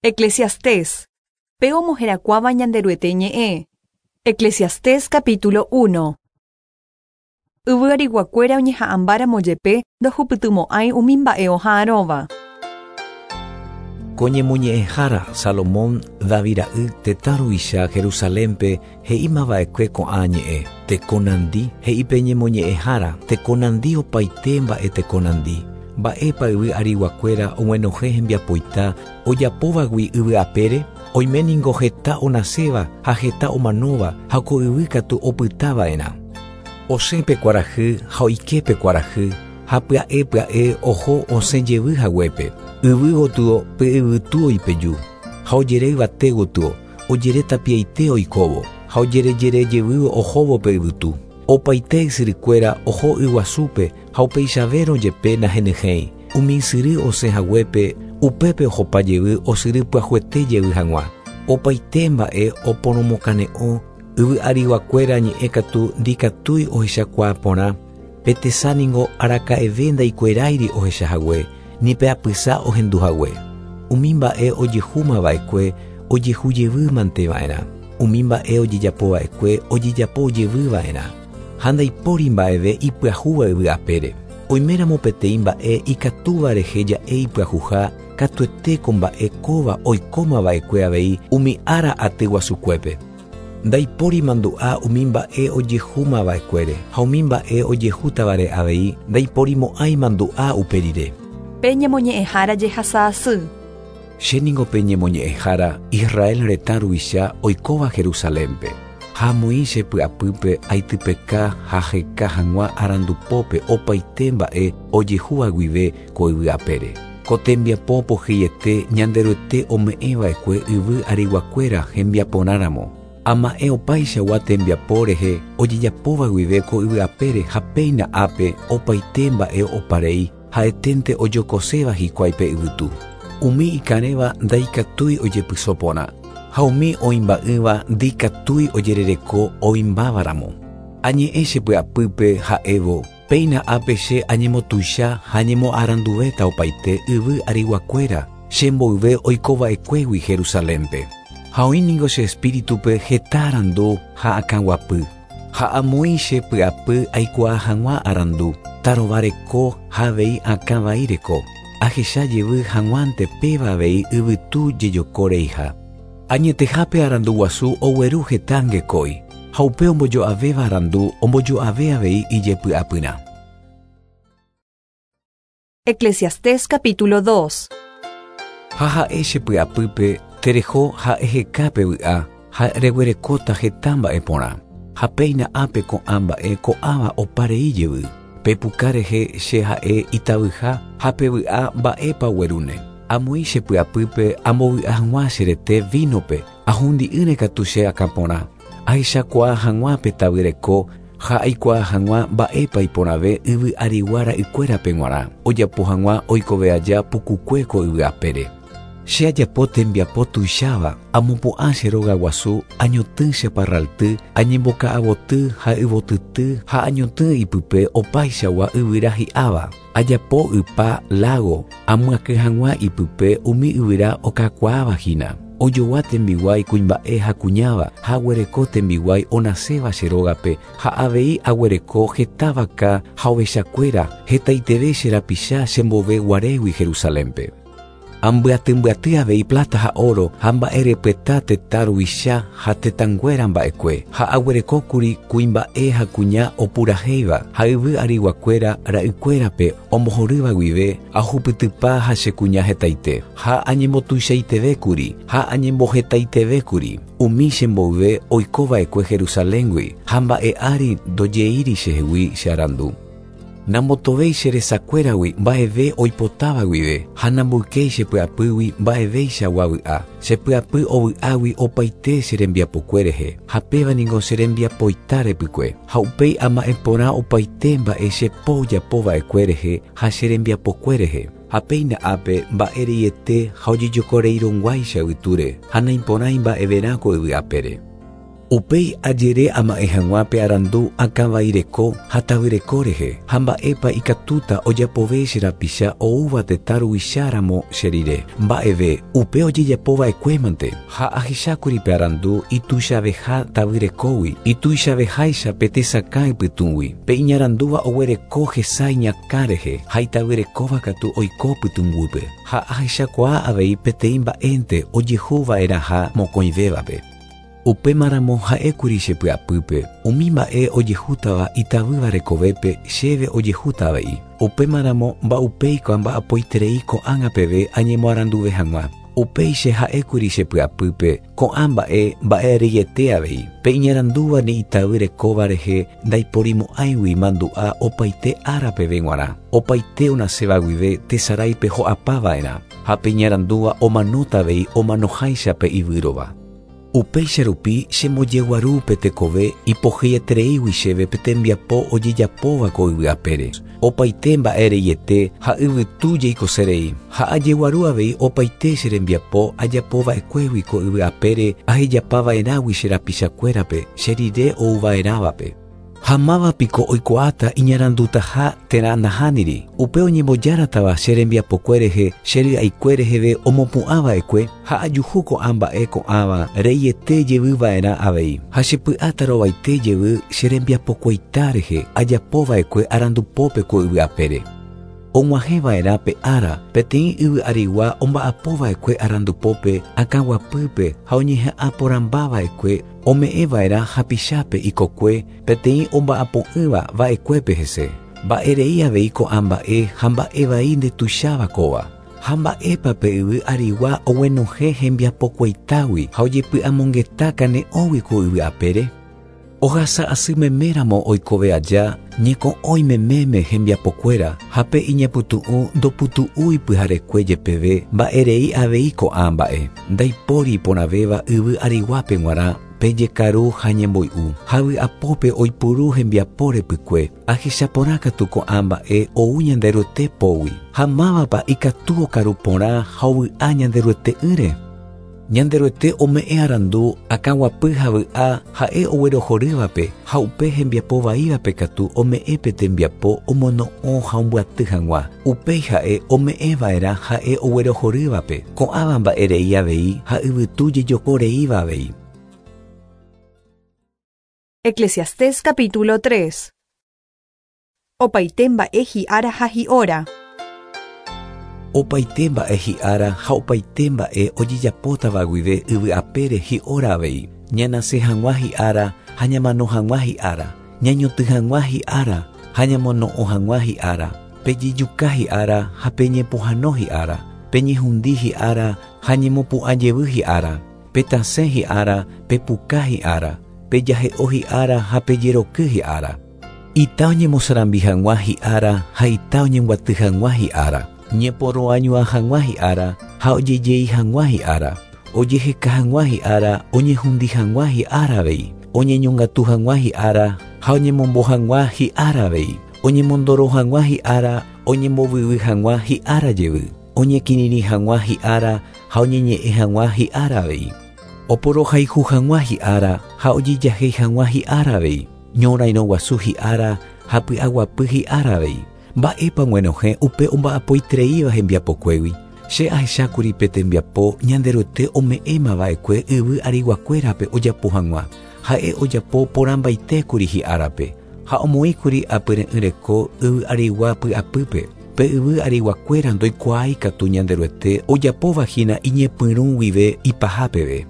Eclesiastés, pe omoherakuãva Ñanderuete ñe'ẽ. Eclesiastés capítulo 1. Yvy ariguakuéra oñeha'ãmbáramo jepe ndohupytymo'ãi umi mba'e oha'arõva. Ko ñemoñe'ẽhára Salomón, David ra'y, tetã ruvicha Jerusalénpe he'íma va'ekue ko'ã ñe'ẽ, Teko nandi, he'i pe ñemoñe'ẽhára, teko nandi opaite mba'e teko nandi. Mba'épa yvy ariguakuéra og̃uenohẽ hembiapoita ojapóvagui yvy apére? Oime ningo heta onaséva ha heta omanóva ha ko yvy katu opyta va'erã. Osẽ pe kuarahy ha oike pe kuarahy, ha pya'e pya'e oho osẽ jevy haguépe. Yvy gotyo pe yvytu oipeju, ha ojere yvate gotyo, ojere tapiaite oikóvo, ha ojerejere jevy ohóvo pe yvytu. Opaite ysyrykuéra oho yguasúpe ha upeichavérõ jepe nahenyhẽi, umi ysyry osẽ haguépe, upépe ohopa jevy osyry pyahuete jevy hag̃ua. Opaite mba'e oporomokane'õ, yvy ariguakuéra ñe'ẽ katu ndikatúi ohechakuaa porã, pe tesa ningo araka'eve ndaikueráiri ohecha hague, ni pe apysa ohendu hague. Umi mba'e ojehúma va'ekue ojehu jevy mante va'erã, umi mba'e ojejapo va'ekue ojejapo jevy va'erã. Ha ndaipóri mba'eve ipyahúva yvy apére. Oiméramo peteĩ mba'e ikatúva rehe ja'e ipyahuha, katuete ko mba'e kóva oikóma va'ekue avei umi ára aty guasukuépe. Ndaipóri mandu'a umi mba'e ojehúma va'ekuére, ha umi mba'e ojehútavare avei ndaiporimo'ãi mandu'a upe rire. Pe ñemoñe'ẽhára jehasa asy. Che ningo pe ñemoñe'ẽhára Israel retã ruvicha oikóva Jerusalénpe. Ha amoĩ che py'apýpe aitypeka ha aheka hag̃ua arandupópe opaite mba'e ojehúva guive ko yvy apére. Ko tembiapo pohyiete Ñanderuete ome'ẽva'ekue yvy ariguakuéra hembiaporã ramo. Ama'ẽ opaichagua tembiapo rehe ojejapóva guive ko yvy apére ha péina ápe opaite mba'e oparei, ha'eténte ojokoséva hikuái pe yvytu. Umi ikarẽva ndaikatúi ojepyso porã, ha umi oĩmba'ỹva ndikatúi ojerereko oĩmbáva ramo. Añe'ẽ che py'apýpe ha'évo, Péina ápe che añemotuicha ha añemoaranduvéta opaite yvy ariguakuéra che mboyve oikova'ekuégui Jerusalénpe. Ha oĩ ningo che espíritupe heta arandu ha akãguapy, ha amoĩ che py'apy aikuaa hag̃ua arandu, tarova reko ha avei akã vai reko, ahecha jevy hag̃uánte péva avei yvytu jejoko reiha. Añetehápe arandu guasu ogueru heta angekói, ha upe ombojo'avéva arandu ombojo'ave avei ijepy'apyrã. Eclesiastés capítulo 2. Ha ha'e che py'apýpe, Tereho ha eheka pe vy'a, ha reguerekóta heta mba'e porã. Ha péina ápe ko'ã mba'e ko'ãva opa rei jevy. Pe puka rehe che ha'e itavyha ha pe vy'a mba'épa oguerúne. Amoĩ che py'apýpe ambovy'a hag̃ua che rete vínope, ahundi'ỹre katu che akã porã, ahechakuaa hag̃ua pe tavy reko ha aikuaa hag̃ua mba'épa iporãve yvy arigua ra'ykuérape g̃uarã, ojapo hag̃ua oikove aja pukukue ko yvy apére. Che ajapo tembiapo tuicháva, amopu'ã che róga guasu, añotỹ che parralty, añemboka'avoty ha yvotyty ha añotỹ ipype opaichagua yvyra hi'áva. Ajapo ypa, lágo, amyakỹ hag̃ua ipype umi yvyra okakuaáva hína. Ojogua tembiguái kuimba'e ha kuñáva, ha aguereko tembiguái onaséva che rógape, ha avei aguereko heta vaka ha ovechakuéra, hetaiteve che rapicha chembove guarégui Jerusalénpe. Ambyatymbyatý avei pláta ha óro ha mba'erepyeta tetã ruvicha ha tetãnguéra mba'ekue, ha aguerekókuri kuimba'e ha kuña opurahéiva ha yvy ariguakuéra ra'ykuérape ombohorýva guive ahupytypa ha che kuña hetaite, ha añembotuichaitevékuri ha añembohetaitevékuri umi che mboyve oikova'ekue Jerusaléngui, ha mba'e ári ndojeíri chehegui che arandu. Nambotovéi che resakuéragui mba'eve oipotáva guive, ha namboykéi che py'apýgui mba'eveichagua vy'a. Che py'apy ovy'águi opaite che rembiapokue rehe, ha péva ningo che rembiapoita repykue. Ha upéi ama'ẽ porã opaite mba'e che po ojapo va'ekue rehe ha che rembiapokue rehe. Ha péina ápe mba'e reiete ha ojejokoreirõguáicha yvytúre, ha naiporãi mba'everã ko yvy apére. Upéi ajere ama'ẽ hag̃ua pe arandu akãvai reko ha tavy reko rehe, ha mba'épa ikatúta ojapove che rapicha oúva tetã ruvicha ramo che rire. Mba'eve, upe ojejapo va'ekuémante. Ha ahechákuri pe arandu ituichaveha tavy rekógui, ituichaveháicha pe tesakã ypytũgui. Pe iñarandúva oguereko hesa iñakã rehe, ha itavyrekóva katu oiko pytũnguýpe. Ha ahechakuaa avei peteĩ mba'énte ojehu va'erãha mokõivévape. Upémaramo ha'ékuri che py'apýpe, umi mba'e ojehútava itavýva rekovépe chéve ojehúta avei. Upémaramo mba'upéiko amba'apoiterei ko'ág̃a peve añemoaranduve hag̃ua. Upéi che ha'ékuri che py'apýpe, ko'ã mba'e mba'e reiete avei. Pe iñarandúva ni itavy rekóva rehe ndaiporimo'ãigui mandu'a opaite ára peve g̃uarã. Opaite onaséva guive tesaráipe ho'apa va'erã, ha pe iñarandúva omanóta avei omanoháicha pe ivýrova. Upéicha rupi chembojeguaru pe tekove ipohyietereígui chéve pe tembiapo ojejapóva ko yvy apére. Opaite mba'e reiete ha yvytu jeikose rei. Ha ajeguaru avei opaite che rembiapo ajapo va'ekuégui ko yvy apére ahejapa va'erãgui che rapichakuérape che rire ou va'erãvape. Ha máva piko oikuaáta iñarandutaha térã nahániri? Upe oñembojáratava che rembiapokue rehe che ry'aikue reheve omopu'ã va'ekue, ha ajuhu ko'ã mba'e ko'ãva reiete jevy va'erã avei. Ha che py'a tarovaite jevy che rembiapokueita rehe ajapo va'ekue arandupópe ko yvy apére. Og̃uahẽ va'erã pe ára, peteĩ yvy arigua omba'apo va'ekue arandupópe, akãguapýpe ha oñeha'ã porãmba va'ekue, ome'ẽ va'erã hapichápe ikokue peteĩ omba'apo'ỹva va'ekuépe hese. Mba'e rei avei ko'ã mba'e ha mba'e vai ndetuicháva kóva. Ha mba'épa pe yvy arigua oguenohẽ hembiapokueitágui ha ojepy'amongeta kane'õgui ko yvy apére? Ohasa asy meméramo oikove aja, ñeko'õi meméme hembiapokuéra, ha pe iñapytu'ũ ndoputu'úi pyharekue jepeve, mba'erei avei ko'ã mba'e. Ndaipóri iporãvéva yvy ariguápe g̃uarã pe jekaru ha ñemboy'u, ha vy'apópe oipuru hembiapo repykue. Ahecha porã katu ko'ã mba'e ou Ñanderuete pógui. Ha mávapa ikatu okaru porã ha ovy'a Ñanderuete'ỹre? Ñanderuete ome'ẽ arandu, akãguapy ha vy'a ha'e oguerohorývape, ha upe hembiapo vaívape katu ome'ẽ pe tembiapo omono'õ ha ombyaty hag̃ua. Upéi ha'e ome'ẽ va'erã ha'e oguerohorývape, ko'ãva mba'e rei avei ha yvytu jejoko reíva avei. Eclesiastés capítulo 3. Opaite mba'e hi'ára ha hi'óra. Opaite mba'e hi'ára ha opaite mba'e ojejapótava guive yvy apére hi'óra avei. Ñanase hag̃ua hi'ára ha ñamano hag̃ua hi'ára, ñañotỹ hag̃ua hi'ára ha ñamono'õ hag̃ua hi'ára, pejejuka hi'ára ha peñepohãno hi'ára, peñehundi hi'ára ha ñemopu'ã jevy hi'ára, petasẽ hi'ára, pepuka hi'ára, pejahe'o hi'ára ha pejeroky hi'ára. Ita oñemosarambi hag̃ua hi'ára ha ita oñembyaty hag̃ua hi'ára, ñeporoañuã hag̃ua hi'ára ha ojejei hag̃ua hi'ára, ojeheka hag̃ua hi'ára oñehundi hag̃ua hi'ára avei, oñeñongatu hag̃ua hi'ára ha oñemombo hag̃ua hi'ára avei, oñemondoro hag̃ua hi'ára oñembovyvy hag̃ua hi'ára jevy, oñekirirĩ hag̃ua hi'ára ha oñeñe'ẽ hag̃ua hi'ára avei, oporohayhu hag̃ua hi'ára ha ojejahéi hag̃ua hi'ára avei, ñorairõ guasu hi'ára ha py'aguapy hi'ára avei. Mba'épa og̃uenohẽ upe omba'apoitereíva hembiapokuégui? Che ahechákuri pe tembiapo Ñanderuete ome'ẽma va'ekue yvy ariguakuérape ojapo hag̃ua. Ha'e ojapo porãmbaitékuri hi'árape, ha omoĩkuri apyre'ỹ reko yvy arigua py'apýpe. Pe yvy ariguakuéra ndoikuaái katu Ñanderuete ojapóva hína iñepyrũ guive ipaha peve.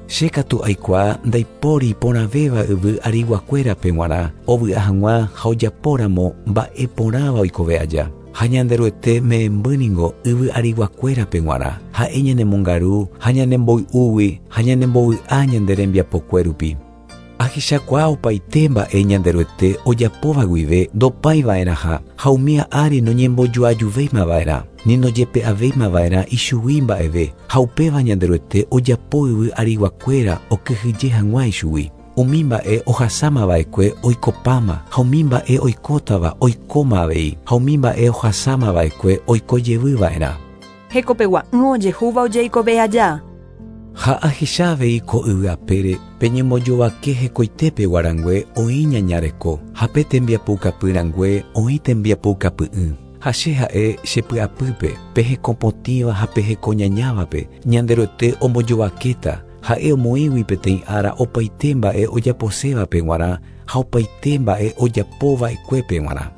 Che katu aikuaa ndaipóri iporãvéva yvy ariguakuérape g̃uarã ovy'a hag̃ua ha ojapóramo mba'e porãva oikove aja. Ha Ñanderuete me'ẽmby ningo yvy ariguakuérape g̃uarã. Ha'e ñanemongaru ha ñanemboy'úgui ha ñanembovy'a ñande rembiapokue rupi. Ahechakuaa opaite mba'e Ñanderuete ojapóva guive ndopái va'erãha ha umía ári noñembojoajuvéima va'erã, ni ndojepe'avéima va'erã ichugui mba'eve, ha upéva Ñanderuete ojapo yvy ariguakuéra okyhyje hag̃ua ichugui. Umi mba'e ohasáma va'ekue oikopáma, ha umi mba'e oikótava oikóma avei, ha umi mba'e ohasáma va'ekue oiko jevy va'erã. Hekopegua'ỹ ojehúva ojeikove aja. Ha ahecha avei ko yvy apére pe ñembojovake hekoitépegua rangue oĩ ñaña reko, ha pe tembiapoukapy rangue oĩ tembiapoukapy'ỹ. Ha che ha'e che py'apýpe, pe hekopotĩva ha pe hekoñañávape, Ñanderuete ombojovakéta, ha'e omoĩgui peteĩ ára opaite mba'e ojaposévape g̃uarã ha opaite mba'e ojapo va'ekuépe g̃uarã.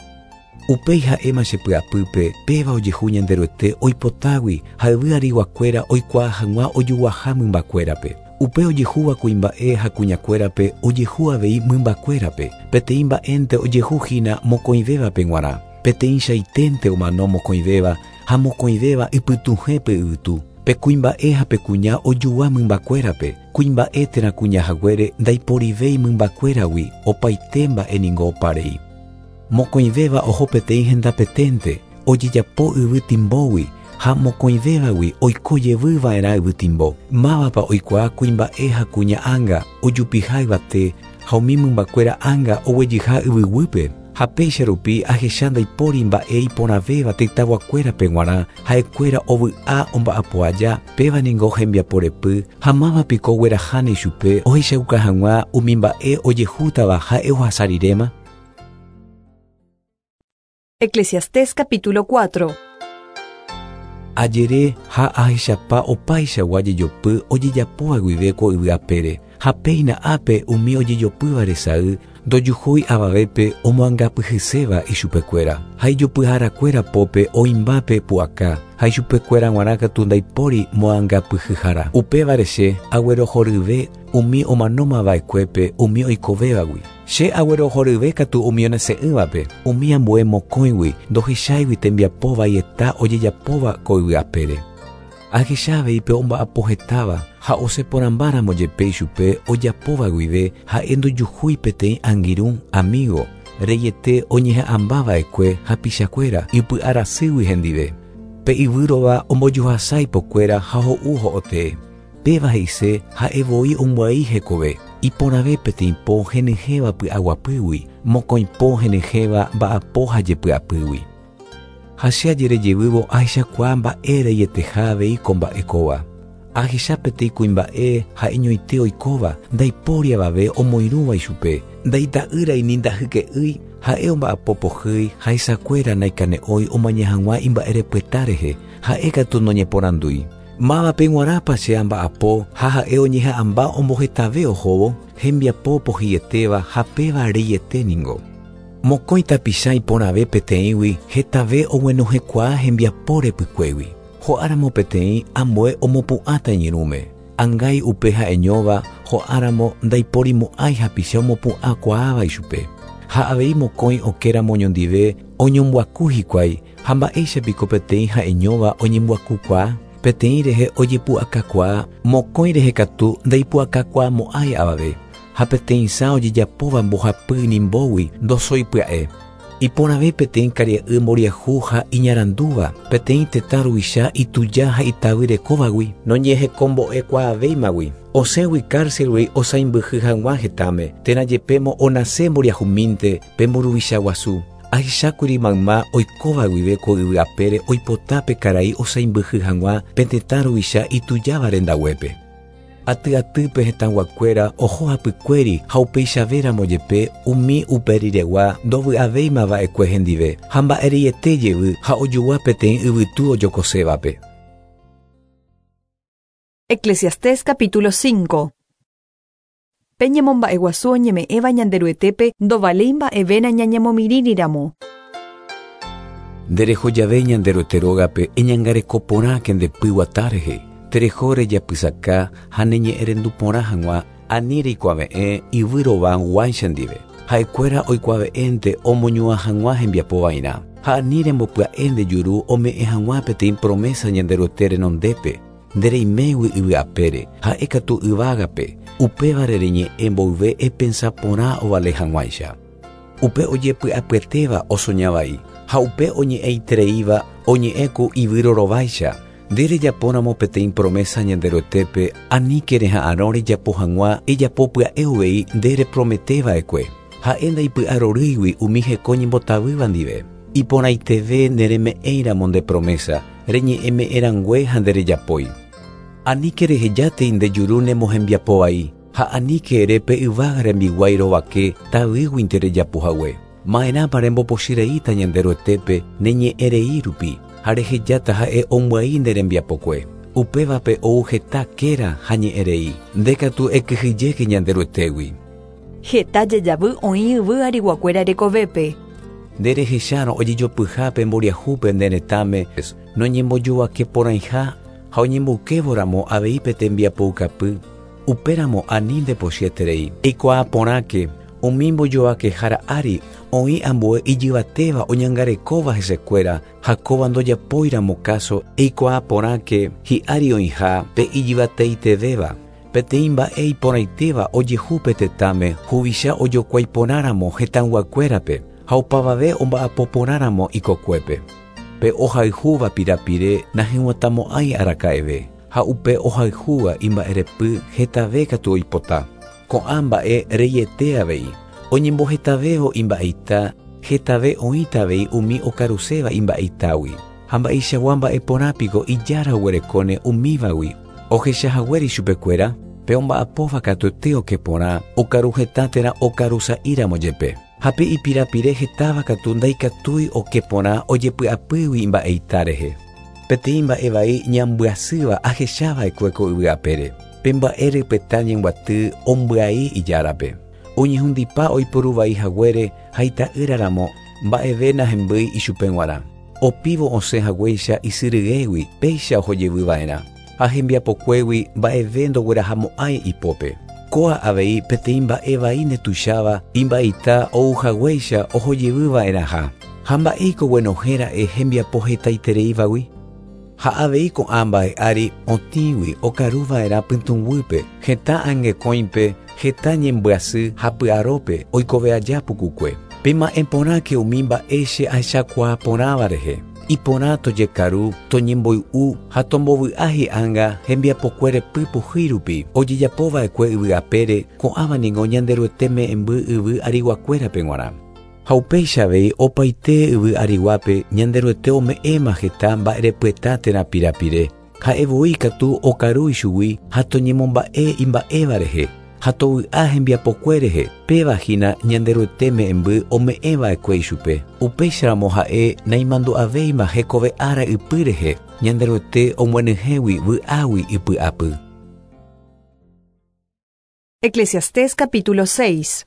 Upéi ha'éma che py'apýpe, péva ojehu Ñanderuete oipotágui ha yvy ariguakuéra oikuaa hag̃ua ojuguaha mymbakuérape. Upe ojehúva kuimba'e ha kuñakuérape ojehu avei mymbakuérape, peteĩ mba'énte ojehu hína mokõivévape g̃uarã, peteĩchaiténte omano mokõivéva ha mokõivéva ipytuhẽ pe yvytu. Pe kuimba'e ha pe kuña ojugua mymbakuérape, kuimba'e térã kuña haguére ndaiporivéi mymbakuéragui, opaite mba'e ningo opa rei. Mokõivéva oho peteĩ hendapeténte, ojejapo yvy timbógui, ha mokõivévagui oiko jevy va'erã yvy timbo. Mávapa oikuaa kuimba'e ha kuña ánga ojupiha yvate ha umi mymbakuéra ánga oguejyha yvyguýpe? Ha péicha rupi ahecha ndaipóri mba'e iporãvéva tetãguakuérape g̃uarã, ha'ekuéra ovy'a omba'apo aja, péva ningo hembiapo repy, ha máva piko ogueraháne ichupe ohechauka hag̃ua umi mba'e ojehútava ha'e ohasa riréma? Eclesiastés capítulo 4. Ajere ha ahechapa opaichagua jejopy ojejapóva guive ko yvy apére, ha péina ápe umi ojejopýva resay ndojuhúi avavépe omoangapyhyséva ichupekuéra, ha ijopyharakuéra pópe oĩmba pe pu'aka, ha ichupekuéra g̃uarã katu ndaipóri moangapyhyhára. Upévare che aguerohoryve umi omanóma va'ekuépe umi oikovévagui. Che aguerohoryve katu umi onase'ỹvape, umi ambue mokõigui ndohecháigui tembiapo vaieta ojejapóva ko yvy apére. Ahecha avei pe omba'apo hetáva ha osẽ porãmbáramo jepe ichupe ojapóva guive ha'e ndojuhúi peteĩ angirũ, amigo, reiete oñeha'ãmba va'ekue hapichakuéra ipy'arasýgui hendive. Pe ivýrova ombojuhasa ipokuéra ha ho'u ho'otee. Péva he'ise ha'e voi ombyai hekove, iporãve peteĩ po henyhẽva py'aguapýgui, mokõi po henyhẽva mba'apo ha jepy'apýgui. Ha che ajere jevývo ahechakuaa mba'e reieteha avei ko mba'e kóva. Ahecha peteĩ kuimba'e ha'eñoite oikóva, ndaipóri avave omoirũva ichupe, ndaita'ýrai ni ndahyke'ýi, ha'e omba'apo pohýi ha hesakuéra naikane'õi omaña hag̃ua imba'erepyeta rehe, ha'e katu noñeporandúi. Mávape g̃uarãpa che amba'apo ha ha'e oñeha'ãmba ombohetave ohóvo? Hembiapo pohyi'etéva ha péva reiete ningo. Mokõi tapicha iporãve peteĩgui hetave oguenohẽkuaa hembiapo repykuégui. Ho'áramo peteĩ, ambue omopu'ãta iñirũme. Angái upe ha'eñóva ho'áramo ndaiporimo'ãi hapicha omopu'ãkuaáva ichupe. Ha avei mokõi okéramo oñondive oñombuaku hikuái, ha mba'éicha piko peteĩ ha'eñóva oñembuakukuaa? Peteĩ rehe ojepu'akakuaa, mokõi rehe katu ndaipu'akakuaamo'ãi avave, ha peteĩ sã ojejapóva mbohapy inimbógui ndosói pya'e. Iporãve peteĩ karia'y mboriahu ha iñarandúva, peteĩ tetã ruvicha ituja ha itavy rekóvagui, noñehekombo'ekuaavéimagui, osẽgui cárcelgui osãimbyhy hag̃ua hetãme, térã jepémo onase mboriahumínte pe mburuvicha guasu. Ahechákuri mayma oikóva guive ko yvy apére oipota pe karai osãimbyhy hag̃ua pe tetã ruvicha itujáva rendaguépe. Aty atýpe hetãguakuéra oho hapykuéri ha upeichavéramo jepe umi upe riregua ndovy'avéima va'ekue hendive ha mba'ereiete jevy ha ojogua peteĩ yvytu ojokosévape. Eclesiastés capítulo 5. Pe ñemomba'eguasu oñeme'ẽva Ñanderuetépe ndovaléi mba'eve nañañemomirĩriramo. Nde reho jave Ñanderuete rógape eñangareko porãke nde py guata rehe, tereho rejapysaka ha ne ñe'ẽrendu porã hag̃ua ani reikuave'ẽ yvy rova guáicha ndive. Ha'ekuéra oikuave'ẽnte omoñuã hag̃ua hembiapo vairã, ha ani rembopya'e nde juru ome'ẽ hag̃ua peteĩ promesa Ñanderuete renondépe, nde reimégui yvy apére, ha'e katu yvágape, upévare reñe'ẽ mboyve epensa porã ovale hag̃uáicha. Upe ojepy'apyetéva osoña vai, ha upe oñe'ẽitereíva oñe'ẽ ku ivýro rováicha. Nde rejapóramo peteĩ promesa Ñanderuetépe, aníke reha'arõ rejapo hag̃ua ejapo pya'e uvei nde reprometeva'ekue. Ha'e ndaipy'arorýigui umi heko ñembotavýva ndive. Iporãiteve nereme'ẽiramo nde promesa, reñe'ẽme'ẽrangue ha nderejapói. Aníke rehejátei nde juru nemohembiapo vai, ha aníke ere pe yvága rembiguái rovake tavýguinte rejapo hague. Ma'erãpa rembopochyreíta Ñanderuetépe ne ñe'ẽ rei rupi, ha rehejáta ha'e ombyai nde rembiapokue. Upévape ou heta kéra ha ñe'ẽ rei. Nde katu ekyhyjéke Ñanderuetégui. Heta jejavy oĩ yvy ariguakuéra rekovépe. Nde rehechárõ ojejopyha pe mboriahúpe nde retãme noñembojovake porãiha ha oñemboykévoramo avei pe tembiapoukapy, upéramo ani ndepochyeterei. Eikuaa porãke, umi mbojovakehára ári oĩ ambue ijyvatéva oñangarekóva hesekuéra ha kóva ndojapóiramo káso eikuaa porãke hi'ári oĩha pe ijyvateitevéva. Peteĩ mba'e iporãitéva ojehu pe tetãme huvicha ojokuái porãramo hetãyguakuérape ha opavave omba'apo porãramo ikokuépe. Pe ohayhúva pirapire nahyg̃uatãmo'ãi araka'eve ha upe ohayhúva imba'erepy hetave katu oipota. Ko'ã mba'e reiete avei. Oñembohetavévo imba'eita, hetave oĩta avei umi okaruséva imba'eitágui. Ha mba'eichagua mba'e porã piko ijára oguerekóne umívagui ohechahaguére ichupekuéra? Pe omba'apóva katuete oke porã, okaru heta térã okarusa'íramo jepe. Ha pe ipirapire hetáva katu ndaikatúi oke porã ojepy'apýgui imba'eita rehe. Peteĩ mba'e vai ñambyasýva ahechava'ekue ko yvy apére. Pe mba'e rypeta ñembyaty ombyai ijárape. Oñehundipa oiporu vai haguére ha ita'ýraramo mba'eve nahembýi ichupe g̃uarã. Opívo osẽ haguéicha isyryégui péicha ohojevyva'erã. Ha hembiapokuégui mba'eve ndoguerahamo'ãi ipópe. Kóa avei peteĩ mba'e vai ndetuicháva imba'eita ouhaguéicha ohojevyva'erãha. Ha mba'éiko guenohẽra'e hembiapo hetaitereívagui? Ha avei ko'ã mba'e ári otĩgui okaruva'erã pytũguýpe, heta angekõipe, heta ñembyasy ha py'arópe oikove aja pukukue. Pema'ẽ porãke umi mba'e che ahechakuaa porãva rehe. Iporã tojekaru, toñemboy'u ha tombovy'a hi'ánga hembiapokuére pypuhýi rupi ojejapova'ekue yvy apére, ko'ãva ningo Ñanderuete me'ẽmby yvy ariguakuérape g̃uarã. Ha upéicha avei opaite yvy ariguápe Ñanderuete ome'ẽma heta mba'erepyeta térã pirapire. Ha'e voi katu okaru ichugui ha toñemomba'e imba'éva rehe ha tovy'a hembiapokue rehe, péva hína Ñanderuete me'ẽmby ome'ẽva'ekue ichupe. Upéicharamo ha'e naimandu'avéima hekove ára ypy rehe, Ñanderuete omyenyhẽgui vy'águi ipy'apy. Eclesiastés capítulo 6.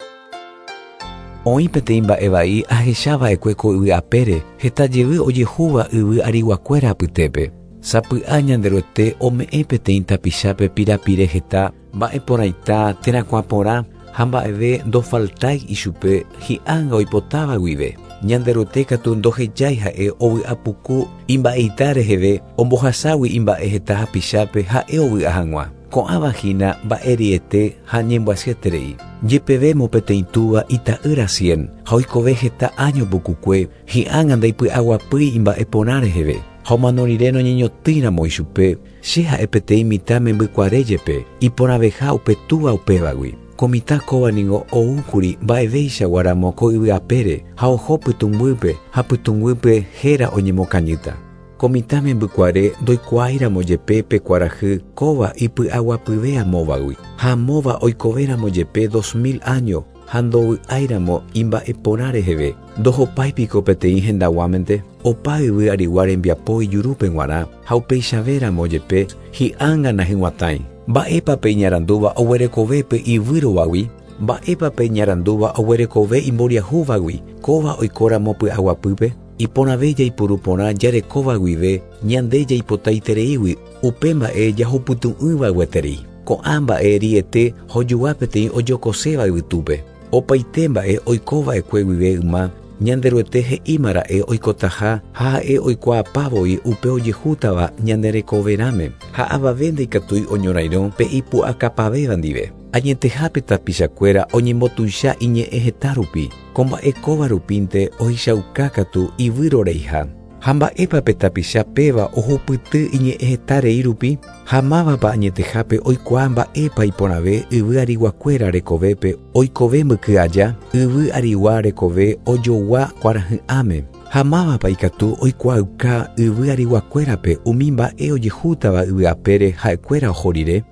Oĩ peteĩ mba'e vai ahechava'ekue ko yvy apére, heta jevy ojehúva yvy ariguakuéra apytépe. Sapy'a Ñanderuete ome'ẽ peteĩ tapichápe pirapire heta, mba'e porãita térã kuã porã ha mba'eve ndofaltái ichupe hi'ánga oipotáva guive. Ñanderuete katu ndohejái ha'e ovy'apuku imba'eita reheve ombohaságui imba'e heta hapichápe ha'e ovy'a hag̃ua. Ko'ãva hína mba'eriete ha ñembyasyeterei. Jepevémo peteĩ túva ita'ýra cien ha oikove heta áño pukukue hi'ánga ndaipy'aguapýi imba'e porã reheve. Ha omano rire noñeñotỹiramo ichupe, che ha'e peteĩ mitã membykuare jepe, iporãveha upe túva upévagui. Ko mitã kóva ningo oúkuri mba'eveichaguáramo ko yvy apére ha oho pytũnguýpe ha pytũnguýpe héra oñemokañýta. Ko mitã membykuare ndoikuaáiramo jepe pe kuarahy kóva ipy'aguapyve amóvagui. Ha amóva oikovéramo jepe 2000 áño ha ndovy'áiramo imba'e porã reheve, ndohopáipiko peteĩ hendaguámente, opa yvy arigua rembiapo ijurúpe g̃uarã ha upeichavéramo jepe hi'ánga nahyg̃uatãi. Mba'épa pe iñarandúva oguerekove pe ivýrovagui? Mba'épa pe iñarandúva oguerekove imboriahúvagui? Kóva oikóramo py'aguapýpe? Iporãve jaipuru porã jarekóva guive ñande jaipotaitereígui upe mba'e jahupytu'ỹva gueteri. Ko'ã mba'e riete hojugua peteĩ ojokoséva yvytúpe. Opaite mba'e oikova'ekue guive yma Ñanderuete he'ímara'e oikotaha ha ha'e oikuaapa voi upe ojehútava ñande rekoverãme ha avave ndaikatúi oñorairõ pe ipu'akapavéva ndive. Añetehápe tapichakuéra oñembotuicha iñe'ẽ heta rupi, ko mba'e kóva rupínte ohechauka katu ivýroreiha. Ha mba'épa pe tapicha péva ohupyty iñe'ẽ heta rei rupi? Ha mávapa añetehápe oikuaa mba'épa iporãve yvy ariguakuéra rekovépe oikove mbyky aja, yvy arigua rekove ojogua kuarahy'ãme. Ha mávapa ikatu oikuaauka yvy ariguakuérape umi mba'e ojehútava yvy apére ha'ekuéra oho rire?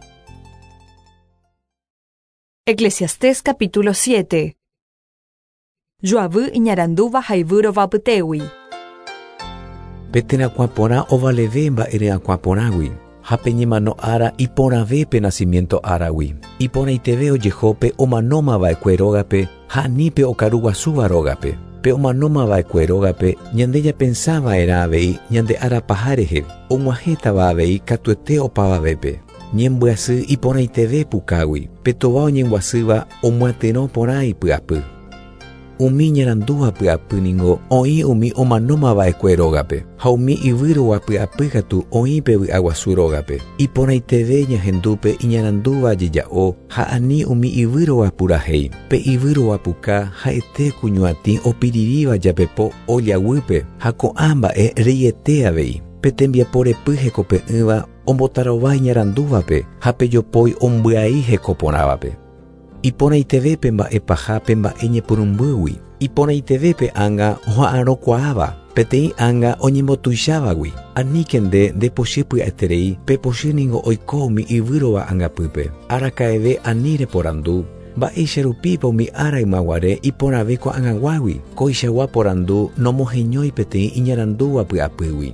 Eclesiastés capítulo 7. Joavy iñarandúva ha ivýrova apytégui. Pe terakuã porã ovaleve mba'e ryakuã porãgui, ha pe ñemano ára iporãve pe nacimiento áragui. Iporãiteve ojeho pe omanóma va'ekue rógape ha ani pe okaru guasúva rógape. Pe omanóma va'ekue rógape ñande ñapensa va'erã avei ñande ára paha rehe, og̃uahẽtava avei katuete opavavépe. Ñembyasy iporãiteve pukágui, pe tova oñembyasýva omyatyrõ porã ipy'apy. Umi iñarandúva py'apy ningo oĩ umi omanóma va'ekue rógape, ha umi ivýrova py'apy katu oĩ pe vy'aguasu rógape. Iporãiteve ñahendu pe iñarandúva jeja'o ha ani umi ivýrova purahéi. Pe ivýrova puka ha'ete ku ñuatĩ opiriríva japepo ólla guýpe ha ko'ã mba'e reiete avei. Pe tembiapo repy hekope'ỹva ombotarova iñarandúvape ha pe jopói ombyai heko porãvape. Iporãiteve pe mba'e paha pe mba'e ñepyrũmbýgui, iporãiteve pe ánga oha'arõkuaáva, peteĩ ánga oñembotuichávagui. Aníke nde ndepochy pya'eterei, pe pochy ningo oiko umi yvýrova angapýpe. Araka'eve ani reporandu, Mba'éicha rupípa umi ára ymaguare iporãve ko'ag̃aguágui? Koichagua porandu nomoheñói peteĩ iñarandúva py'apýgui.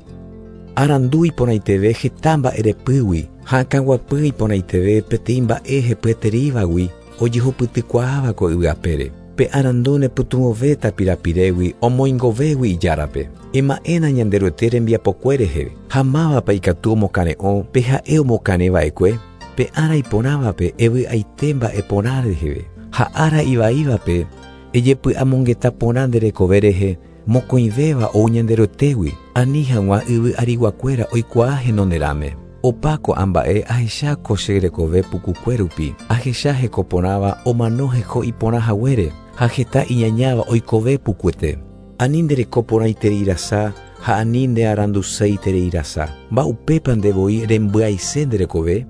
Arandu iporãiteve heta mba'erepýgui ha akãguapy iporãiteve peteĩ mba'e hepyetereívagui ojehupytykuaáva ko yvy apére. Pe arandu nepytyvõvéta pirapirégui omoingovégui ijárape. Ema'ẽna Ñanderuete rembiapokue rehe, ha mávapa ikatu omokare'õ pe ha'e omokarẽ va'ekue? Pe ára iporãvape evy'aite mba'e porã reheve, ha ára ivaívape ejepy'amongeta porã nde rekove rehe, mokõivéva ou Ñanderuetégui, ani hag̃ua yvy ariguakuéra oikuaa henonderãme. Opa ko'ã mba'e ahecha ko che rekove pukukue rupi, ahecha heko porãva omano heko iporã haguére, ha heta iñañáva oikove pukuete. Ani nde reko porãiterei rasa ha ani nde aranduseiterei rasa. Mba'upépa nde voi rembyaise nde rekove?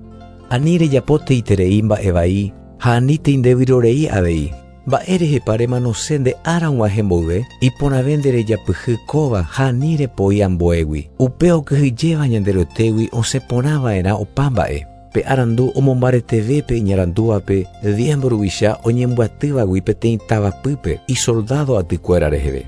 Ani rejapoteiterei mba'e vai ha anítei nde vyrorei avei. Mba'érehepa remanose nde ára og̃uahẽ mboyve? Iporãve nde rejapyhy kóva ha ani repoi ambuégui. Upe okyhyjéva Ñanderuetégui osẽ porã va'erã opa mba'e. Pe arandu omombareteve pe iñarandúvape diez mburuvicha oñembyatývagui peteĩ tavapýpe isoldádo atykuéra reheve.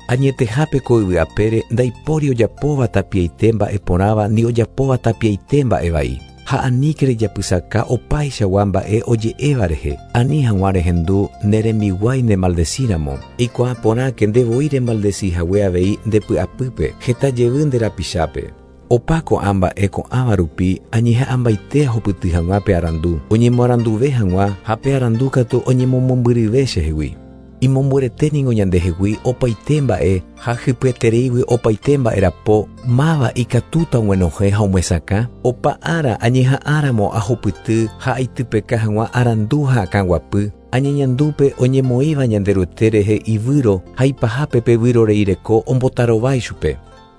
Añetehápe ko yvy apére ndaipóri ojapóva tapiaite mba'e porãva ni ojapóva tapiaite mba'e vai. Ha aníke rejapysaka opaichagua mba'e oje'éva rehe, ani hag̃ua rehendu ne rembiguái nemaldesíramo. Eikuaa porãke nde voi remaldesi hague avei nde py'apýpe heta jevy nde rapichápe. Opa ko'ã mba'e ko'ãva rupi añeha'ãmbaite ahupyty hag̃ua pe arandu, oñemoaranduve hag̃ua ha pe arandu katu oñemomombyryve chehegui. Imombyryete ningo ñandehegui opaite mba'e ha hypyetereígui opaite mba'e rapo, máva ikatúta og̃uenohẽ ha omyesakã? Opa ára añeha'ãramo ahupyty ha aitypeka hag̃ua arandu ha akãguapy, añeñandúpe oñemoĩva Ñanderuete rehe ivýro ha ipahápe pe vyroreireko ombotarova ichupe.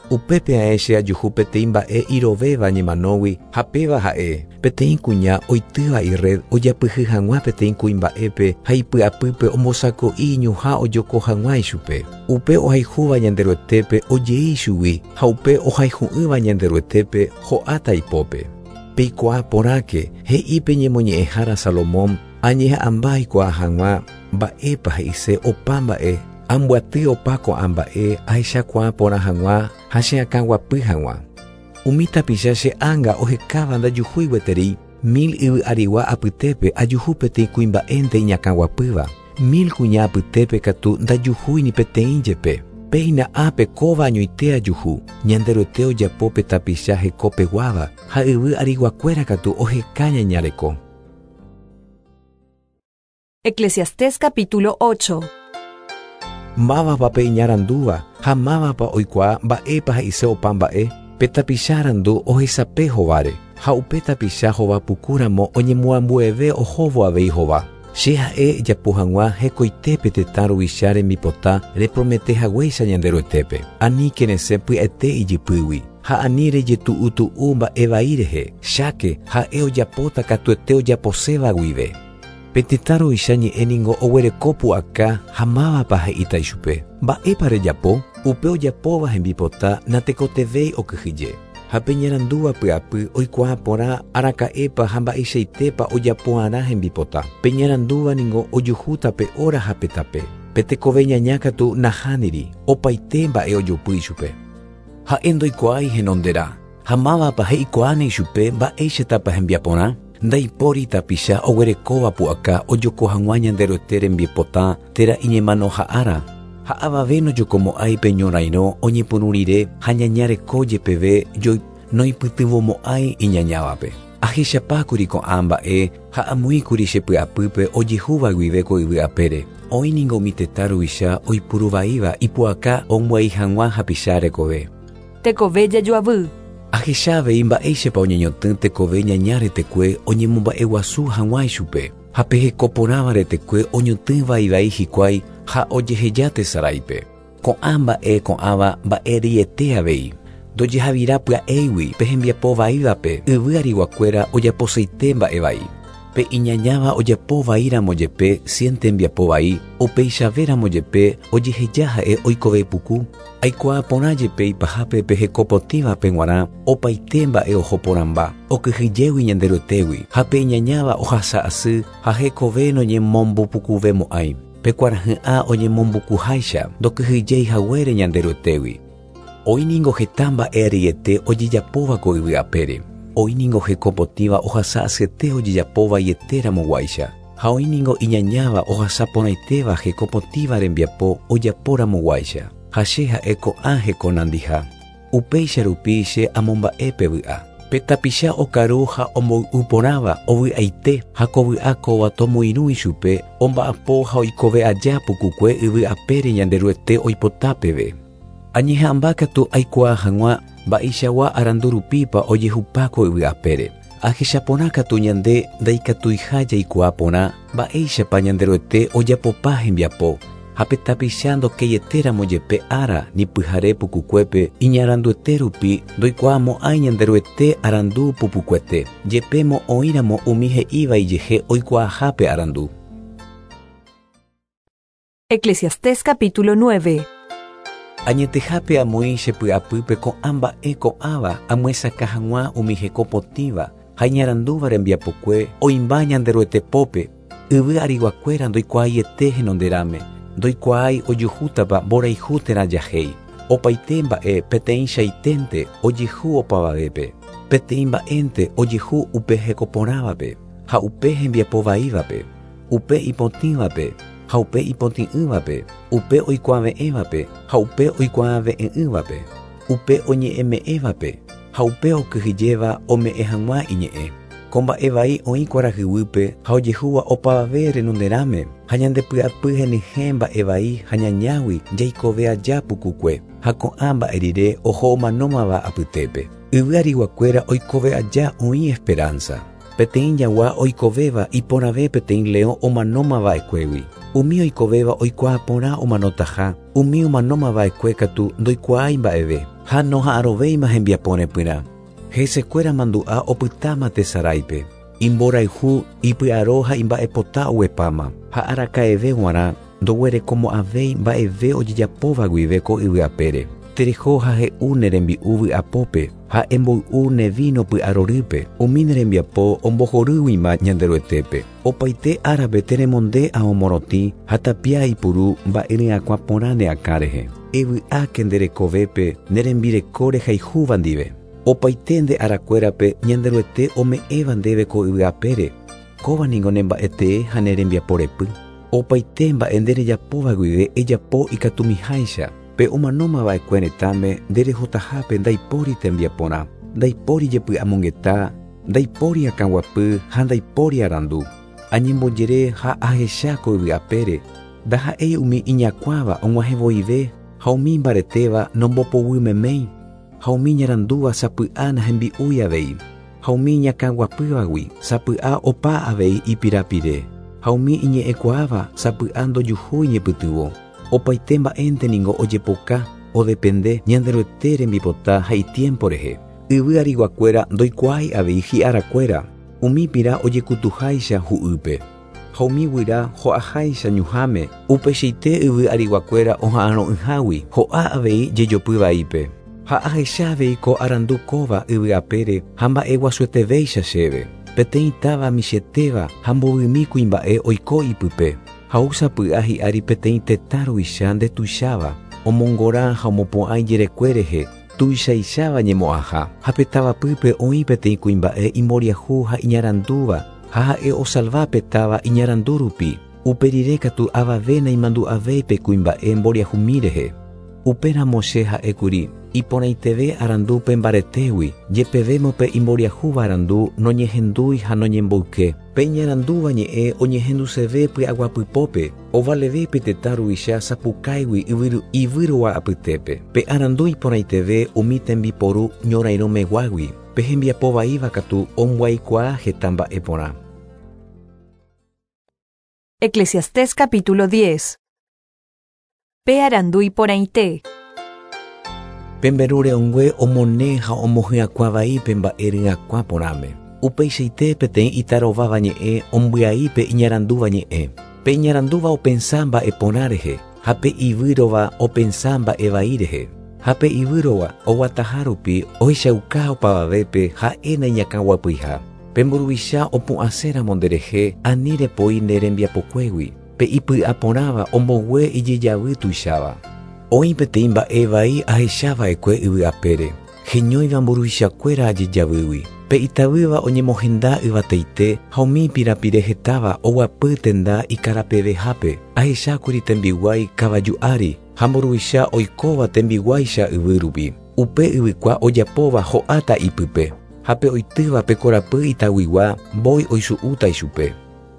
Upépe ae che ajuhu peteĩ mba'e irovéva ñemanógui ha péva ha'e, peteĩ kuña oitýva irred ojapyhy hag̃ua peteĩ kuimba'épe ha ipy'apýpe ombosako'i iñuhã ojoko hag̃ua ichupe. Upe ohayhúva Ñanderuetépe ojei ichugui ha upe ohayhu'ỹva Ñanderuetépe ho'áta ipópe. Peikuaa porãke, he'i pe ñemoñe'ẽhára Salomón, Añeha'ãmba aikuaa hag̃ua mba'épa he'ise opa mba'e, ambyaty opa ko'ã mba'e ahechakuaa porã hag̃ua ha che akãguapy hag̃ua. Umi tapicha che ánga ohekáva ndajuhúi gueteri, mil yvy arigua apytépe ajuhu peteĩ kuimba'énte iñakãguapýva, mil kuña apytépe katu ndajuhúi ni peteĩ jepe. Péina ápe kóva añoite ajuhu, Ñanderuete ojapo pe tapicha heko peguáva, ha yvy ariguakuéra katu oheka ñaña reko. Eclesiastés capítulo 8. Mávapa pe iñarandúva ha mávapa oikuaa mba'épa he'ise opa mba'e? Pe tapicha arandu ohesape hováre, ha upe tapicha hova pukúramo oñemoambueve ohóvo avei hova. Che ha'e ejapo hag̃ua hekoitépe tetã ruvicha rembipota repromete haguéicha Ñanderuetépe. Aníke resẽ pya'ete ijypýgui. Ha ani rejetu'utu'u mba'e vai rehe, cháke ha'e ojapóta katuete ojaposéva guive. Pe tetã ruvicha ñe'ẽ ningo oguereko pu'aka ha mávapa he'íta ichupe, Mba'épa rejapo? Upe ojapóva hembipota natekotevẽi okyhyje. Ha pe iñarandúva py'apy oikuaa porã araka'épa ha mba'eichaitépa ojapo'arã hembipota. Pe iñarandúva ningo ojuhúta pe óra ha pe tape. Pe tekove ñaña katu nahániri, opaite mba'e ojopy ichupe. Ha'e ndoikuaái henonderã, ha mávapa he'ikuaáne ichupe mba'éichatapa hembiaporã? Ndaipóri tapicha oguerekóva pu'aka ojoko hag̃ua Ñanderuete rembipota térã iñemanoha'ára, ha avave nojokomo'ãi pe ñorairõ oñepyrũ rire ha ñaña reko jepeve noipytyvõmo'ãi iñañávape. Ahechapákuri ko'ã mba'e ha amoĩkuri che py'apýpe ojehúva guive ko yvy apére. Oĩ ningo umi tetã ruvicha oipuru vaíva ipu'aka ombyai hag̃ua hapicha rekove. Tekove jajoavy. Ahecha avei mba'éichapa oñeñotỹ tekove ñaña retekue oñemomba'eguasu hag̃ua ichupe, ha pe heko porãva retekue oñotỹ vai vai hikuái ha ojeheja tesaráipe. Ko'ã mba'e ko'ãva mba'e reiete avei. Ndojehavira pya'éigui pe hembiapo vaívape yvy ariguakuéra ojaposeite mba'e vai. Pe iñañáva ojapo vaíramo jepe cien tembiapo vai, upeichavéramo jepe ojeheja ha'e oikove puku. Aikuaa porã jepe ipahápe pe heko potĩvape g̃uarã opaite mba'e oho porãmba, okyhyjégui Ñanderuetégui, ha pe iñañáva ohasa asy ha hekove noñemombopukuvemo'ãi. Pe kuarahy'ã oñemombukuháicha ndokyhyjéi haguére Ñanderuetégui. Oĩ ningo heta mba'e reiete ojejapóva ko yvy apére. Oĩ ningo heko potĩva ohasa asyete ojejapo vaietéramo guáicha. Ha oĩ ningo iñañáva ohasa porãitéva heko potĩva rembiapo ojapóramo guáicha. Ha che ha'e ko'ã heko nandiha. Upéicha rupi che amomba'e pe vy'a. Pe tapicha okaru ha omboy'u porãva ovy'aite ha ko vy'a kóva tomoirũ ichupe omba'apo ha oikove aja pukukue yvy apére Ñanderuete oipota peve. Añeha'ãmba katu aikuaa hag̃ua mba'eichagua arandu rupípa ojehupa ko yvy apére. Ahecha porã katu ñande ndaikatuiha jaikuaa porã mba'éichapa Ñanderuete ojapopa hembiapo ha pe tapicha ndokeietéramo jepe ára ni pyhare pukukuépe iñaranduete rupi ndoikuaamo'ãi Ñanderuete arandu pupukuete, jepémo oĩramo umi he'íva ijehe oikuaaha pe arandu. Eclesiastés capítulo 9. Añetehápe amoĩ che py'apýpe ko'ã mba'e ko'ãva amyesakã hag̃ua umi heko potĩva ha iñarandúva rembiapokue oĩmba Ñanderuete pópe, yvy ariguakuéra ndoikuaaiete henonderãme, ndoikuaái ojuhútapa mborayhu térã jahéi. Opaite mba'e peteĩchaiténte ojehu opavavépe, peteĩ mba'énte ojehu upe heko porãvape ha upe hembiapo vaívape, upe ipotĩvape ha upe ipotĩ'ỹvape, upe oikuaave'ẽvape ha upe oikuaave'ẽ'ỹvape, upe oñe'ẽme'ẽvape ha upe okyhyjéva ome'ẽ hag̃ua iñe'ẽ. Ko mba'e vai oĩ kuarahyguýpe ha ojehúva opavave renonderãme ha ñandepy'apy henyhẽ mba'e vai ha ñañágui jaikove aja pukukue ha ko'ã mba'e rire oho omanómava apytépe. Yvy ariguakuéra oikove aja oĩ esperanza. Peteĩ jagua oikovéva iporãve peteĩ leõ omanómava'ekuégui. Umi oikovéva oikuaa porã omanotaha, umi omanómava'ekue katu ndoikuaái mba'eve ha noha'arõvéima hembiaporepyrã. Hesekuéra mandu'a opytáma tesaráipe. Imborayhu, ipy'aro ha imba'epota oguepáma ha araka'eve g̃uarã ndoguerekomo'ãvéi mba'eve ojejapóva guive ko yvy apére. Tereho ha he'u ne rembi'u vy'apópe ha emboy'u ne víno py'arorýpe, umi ne rembiapo ombohorýguima Ñanderuetépe. Opaite árape teremonde ao morotĩ ha tapia ipuru mba'e ryakuã porã ne akã rehe. Evy'áke nde rekovépe ne rembireko rehayhúva ndive. Opaite nde arakuérape Ñanderuete ome'ẽva ndéve ko yvy apére. Kóva ningo ne mba'etee ha ne rembiaporepy. Opaite mba'e nde rejapóva guive ejapo ikatumiháicha. Pe omanómava'ekue retãme nde rehotahápe ndaipóri tembiaporã, ndaipóri jepy'amongeta, ndaipóri akãguapy ha ndaipóri arandu. Añembojere ha ahecha ko yvy apére, ndaha'éi umi iñakuãva og̃uahẽvoive ha umi imbaretéva nombopoguy-meméi, ha umi iñarandúva sapy'a nahembi'úi avei, ha umi iñakãguapývagui sapy'a opa avei ipirapire, ha umi iñe'ẽkuaáva sapy'a ndojuhúi ñepytyvõ. Opaite mba'énte ningo ojepoka odepende Ñanderuete rembipota ha itiempo rehe. Yvy ariguakuéra ndoikuaái avei hi'arakuéra, umi pira ojekutuháicha hu'ýpe. Ha umi guyra ho'aháicha ñuhãme, upeichaite yvy ariguakuéra oha'arõ'ỹhágui ho'a avei jejopy vaípe. Ha ahecha avei ko arandu kóva yvy apére ha mba'eguasuetevéicha chéve. Peteĩ táva michĩetéva ha mbovymi kuimba'e oiko ipype. Ha ou sapy'a hi'ári peteĩ tetã ruvicha ndetuicháva, omongora ha omopu'ã ijerekue rehe tuichaicháva ñemo'ãha. Ha pe tavapýpe oĩ peteĩ kuimba'e imboriahu ha iñarandúva, ha ha'e osalva pe táva iñarandu rupi. Upe rire katu avave naimandu'avéi pe kuimba'e mboriahumi rehe. Upéramo che ha'e kuri, Iporãiteve arandu pe mbaretégui, jepevémo pe imboriahúva arandu noñehendúi ha noñemboyke. Pe iñarandúva ñe'ẽ oñehenduseve py'aguapypópe, ovaleve pe tetã ruvicha sapukáigui yvyrua apytépe. Pe arandu iporãiteve umi tembiporu ñorairõmeguágui, pe hembiapo vaíva katu ombyaikuaa heta mba'e porã. Eclesiastés capítulo 10. Pe arandu iporãite. Pe mberu re'õngue omone ha omohyakuã vai pe mba'e ryakuã porãme. Upeichaite peteĩ itarováva ñe'ẽ ombyai pe iñarandúva ñe'ẽ. Pe iñarandúva opensa mba'e porã rehe, ha pe ivýrova opensa mba'e vai rehe. Ha pe ivýrova oguataha rupi ohechauka opavavépe ha'e naiñakãguapyiha. Pe mburuvicha opu'ãséramo nderehe ani repoi ne rembiapokuégui, pe ipy'a porãva ombogue ijejavy tuicháva. Oĩ peteĩ mba'e vai ahecha va'ekue yvy apére, heñóiva mburuvichakuéra ajejavýgui. Pe itavýva oñemohenda yvateite ha umi pirapire hetáva oguapy tenda ikarapevehápe. Ahechákuri tembiguái kavaju ári ha mburuvicha oikóva tembiguáicha yvy rupi. Upe yvykua ojapóva ho'áta ipype, ha pe oitýva pe korapy itaguigua mbói oisu'úta ichupe.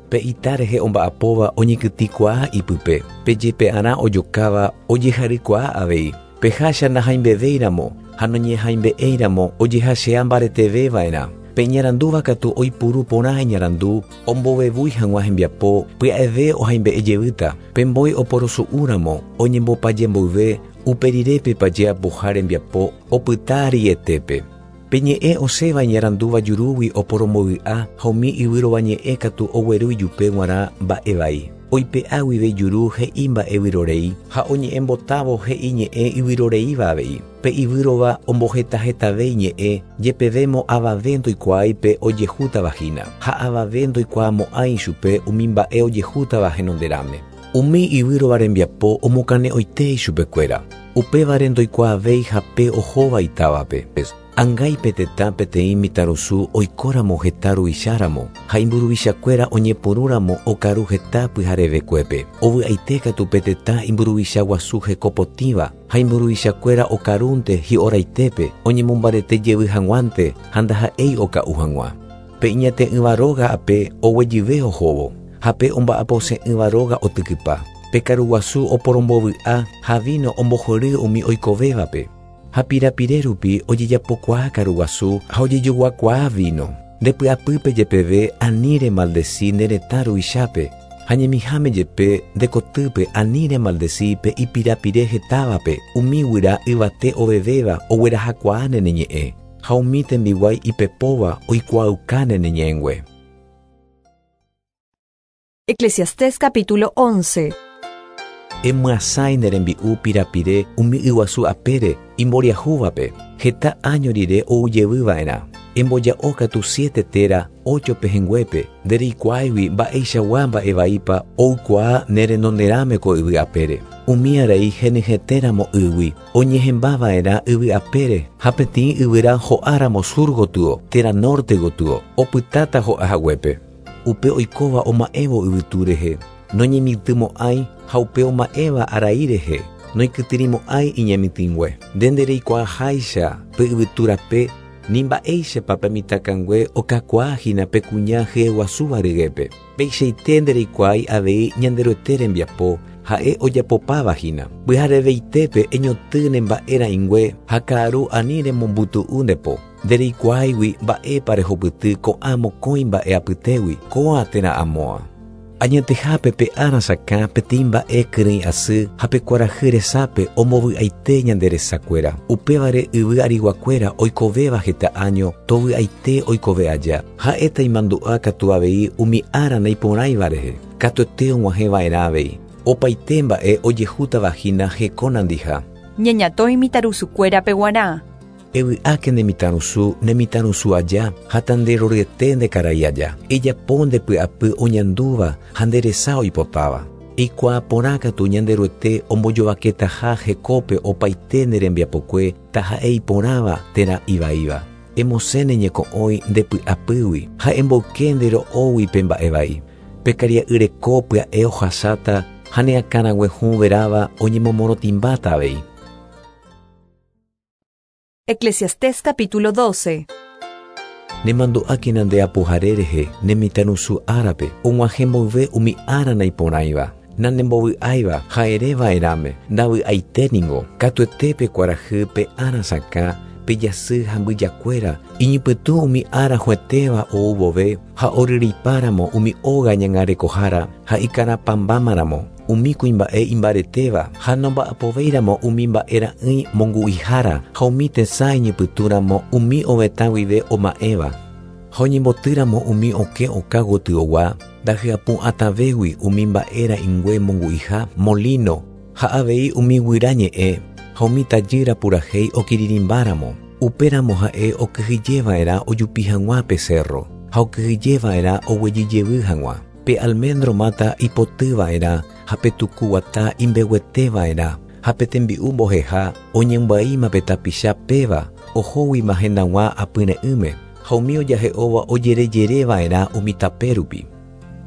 Pe ita rehe omba'apóva oñekytĩkuaa ipype, pe jepe'arã ojokáva ojeharykuaa avei. Pe hácha nahaimbevéiramo ha noñehaimbe'éiramo ojehachea mbareteve va'erã. Pe iñarandúva katu oipuru porã iñarandu ombovevúi hag̃ua hembiapo, pya'eve ohaimbe'e jevýta. Pe mbói oporosu'úramo oñembopaje mboyve, upe rire pe paje apoha rembiapo opyta rietépe. Pe ñe'ẽ osẽva iñarandúva jurúgui oporombovy'a ha umi yvyrova ñe'ẽ katu ogueru ijupe g̃uarã mba'e vai. Oipe'a guive ijuru he'i mba'e vyrorei ha oñe'ẽmbotávo he'i ñe'ẽ yvyroreíva avei. Pe ivýrova ombohetahetave iñe'ẽ, jepevémo avave ndoikuaái pe ojehútava hína, ha avave ndoikuaamo'ãi ichupe umi mba'e ojehútava henonderãme. Umi ivýrova rembiapo omokane'õite ichupekuéra, upévare ndoikuaavéi hape ohóva itávape. Angái pe tetã peteĩ mitãrusu oikóramo heta ruvicháramo, ha imburuvichakuéra oñepyrũramo okaru heta pyharevekuépe. Ovy'aite katu pe tetã imburuvicha guasu heko potĩva, ha imburuvichakuéra okarúnte hi'oraitépe, oñemombarete jevy hag̃uánte ha ndaha'éi oka'u hag̃ua. Pe iñate'ỹva róga ape oguejyve ohóvo, ha pe omba'apose'ỹva róga otykypa. Pe karuguasu oporombovy'a ha víno ombohory umi oikovévape. Ha pirapire rupi ojejapokuaa karuguasu ha ojejoguakuaa víno. Nde py'apýpe jepeve ani remaldeci ne retã ruvichápe, ha ñemiháme jepe nde kotýpe ani remaldeci pe ipirapire hetávape, umi guyra yvate ovevéva oguerahakuaáne ne ñe'ẽ, ha umi tembiguái ipepóva oikuaaukáne ne ñe'ẽngue. Eclesiastés capítulo 11. Emyasãi ne rembi'u pirapire umi yguasu apére imboriahúvape, heta áño rire ou jevy va'erã. Emboja'o katu siete térã ocho pehẽnguépe, ndereikuaáigui mba'eichagua mba'e vaípa oukuaa ne renonderãme ko yvy apére. Umi arai henyhẽtéramo ýgui, oñehẽmba va'erã yvy apére ha peteĩ yvyra ho'áramo sur gotyo térã norte gotyo, opytáta ho'a haguépe. Upe oikóva oma'ẽvo yvytu rehe, noñemitỹmo'ãi ha upe oma'ẽva arai rehe, noikytĩrimo'ãi iñemitỹngue. Nde ndereikuaaháicha pe yvytu rape ni mba'éichapa pe mitãkangue okakuaa hína pe kuña hyeguasúva ryguépe. Peichaite ndereikuaái avei Ñanderuete rembiapo, ha'e ojapopáva hína. Pyhareveitépe eñotỹ ne mba'e ra'ỹingue ha ka'aru ani remombytu'u nde po. Ndereikuaáigui mba'épa rehupyty ko'ã mokõi mba'e apytégui, kóa térã amóa. Añetehápe pe ára sakã peteĩ mba'e kyrỹi asy ha pe kuarahy resápe ombovy'aite ñande resakuéra. Upévare yvy ariguakuéra oikovéva heta áño tovy'aite oikove aja. Ha'éta imandu'a katu avei umi ára naiporãiva rehe. Katuete og̃uahẽva'erã avei. Opaite mba'e ojehútava hína heko nandiha. Ñeñatõi mitãrusukuérape g̃uarã. Evy'áke ne mitãrusu ne mitãrusu aja ha tanderoryete nde karai aja. Ejapo nde py'apy oñandúva ha nde resa oipotáva. Eikuaa porã katu Ñanderuete ombojovaketaha hekópe opaite ne rembiapokue taha'e iporãva térã ivaíva. Emosẽ ne ñeko'õi nde py'apýgui ha emboyke nde ro'ógui pe mba'e vai. Pe karia'y reko pya'e ohasáta ha ne akãrague hũ veráva oñemomorotĩmbáta avei. Eclesiastés capítulo 12. Nemandu'ákena nde apohare rehe ne mitãrusu árape, og̃uahẽ mboyve umi ára naiporãiva, nanembovy'áiva ha ereva'erãme, ndavy'aite ningo, katuete pe kuarahy pe ára sakã, pe jasy ha mbyjakuéra, iñypytũ umi ára hũetéva ou vove ha oryryipáramo umi óga ñangarekohára ha ikarapãmbámaramo, umi kuimba'e imbaretéva ha nomba'apovéiramo umi mba'e ra'ỹi mongu'ihára ha umi tesã iñypytũramo umi ovetã guive oma'ẽva. Ha oñembotýramo umi okẽ oka gotyogua, ndahyapu'atãvégui umi mba'e ra'ỹingue mongu'iha, molino, ha avei umi guyra ñe'ẽ ha umi tajýra purahéi okirirĩmbáramo. Upéramo ha'e okyhyjeva'erã ojupi hag̃ua pe cerro, ha okyhyjeva'erã oguejyjevy hag̃ua. Pe almendro máta ipotyva'erã ha pe tuku guata imbegueteva'erã, ha pe tembi'u mboheha oñembyaíma pe tapicha péva ohóguima hendag̃ua apyre'ỹme, ha umi ojahe'óva ojerejereva'erã umi tape rupi.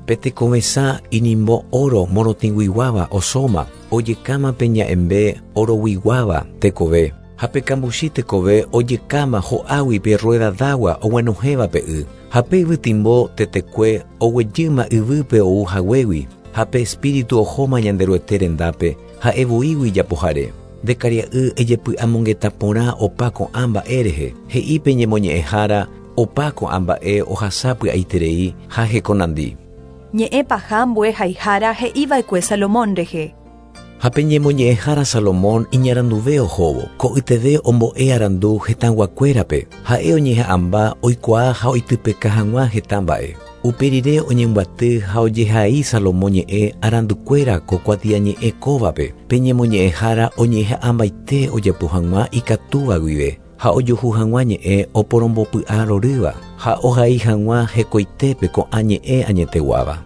Pe tekovesã inimbo oro morotĩguiguáva osóma, ojekáma pe ña'ẽmbe oroguiguáva tekove, ha pe kambuchi tekove ojekáma ho'águi pe rueda d'agua oguenohẽva pe y, ha pe yvytimbo tetekue oguejýma yvýpe ou haguégui, ha pe espíritu ohóma Ñanderuete rendápe ha'evoígui ijapohare. Nde karia'y ejepy'amongeta porã opa ko'ã mba'e rehe, he'i pe ñemoñe'ẽhára opa ko'ã mba'e ohasa py'aiterei ha hekonandi. Ñe'ẽ paha ambue haihára he'iva'ekue Salomón rehe. Ha pe ñemoñe'ẽhára Salomón iñaranduve ohóvo, ko'yteve ombo'e arandu hetãguakuérape, ha'e oñeha'ãmba oikuaa ha oitypeka hag̃ua heta mba'e. Upe rire oñembyaty ha ojehai Salomón ñe'ẽ arandukuéra ko kuatiañe'ẽ kóvape, pe ñemoñe'ẽhára oñeha'ãmbaite ojapo hag̃ua ikatúva guive, ha ojuhu hag̃ua ñe'ẽ oporombopy'arorýva, ha ohai hag̃ua hekoitépe ko'ã ñe'ẽ añeteguáva.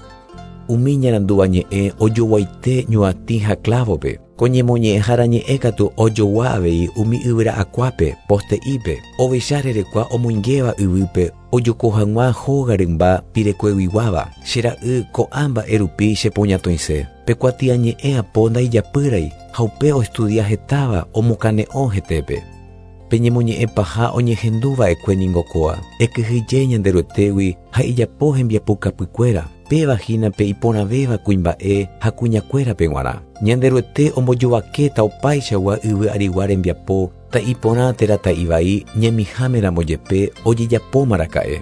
Umi ñarandúva ñe'ẽ ojoguaite ñuatĩ ha clavope, ko ñemoñe'ẽhára ñe'ẽ katu ojogua avei umi yvyra'akuápe, poste'ípe, ovecha rerekua omoingéva yvýpe ojoko hag̃ua hóga rymba pirekueguiguáva. Che ra'y ko'ã mba'e rupi chepoñatõise. Pe kuatiañe'ẽ apo ndaijapýrai ha upe oestudia hetáva omokane'õ hetépe. Pe ñemoñe'ẽ paha oñehenduva'ekue ningo kóa, ekyhyje Ñanderuetégui ha ijapo hembiapokapykuéra, péva hína pe iporãvéva kuimba'e ha kuñakuérape g̃uarã. Ñanderuete ombojovakéta opaichagua yvy arigua rembiapo ta'iporã térã ta'ivai ñemihámeramo jepe ojejapóma raka'e.